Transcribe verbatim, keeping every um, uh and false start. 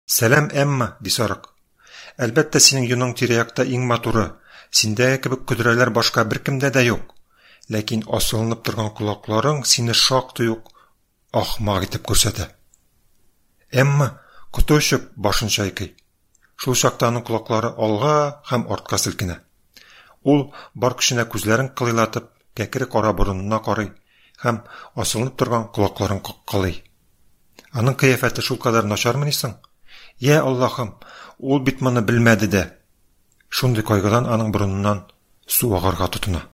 Сәлам, Эмма, ди сарык. Әлбәттә, синең йоның тирә-якта иң матуры, синдәге кебек көдрәләр башка беркемдә дә юк. Ләкин асылынып торган колакларың сине шактый ук ахмак итеп күрсәтә. Эмма, коты очып, башын чайкый. Шул чакта аның колаклары алга һәм артка селкенә. Ул, бар көченә күзләрен кылыйлатып, кәкре кара борынына карый һәм асылынып торган колакларын каккалый. Аның кыяфәте шулкадәр начармыни соң? Йа Аллаһым, ул бит моны белмәде дә! Шундый кайгыдан аның борыныннан су агарга тотына.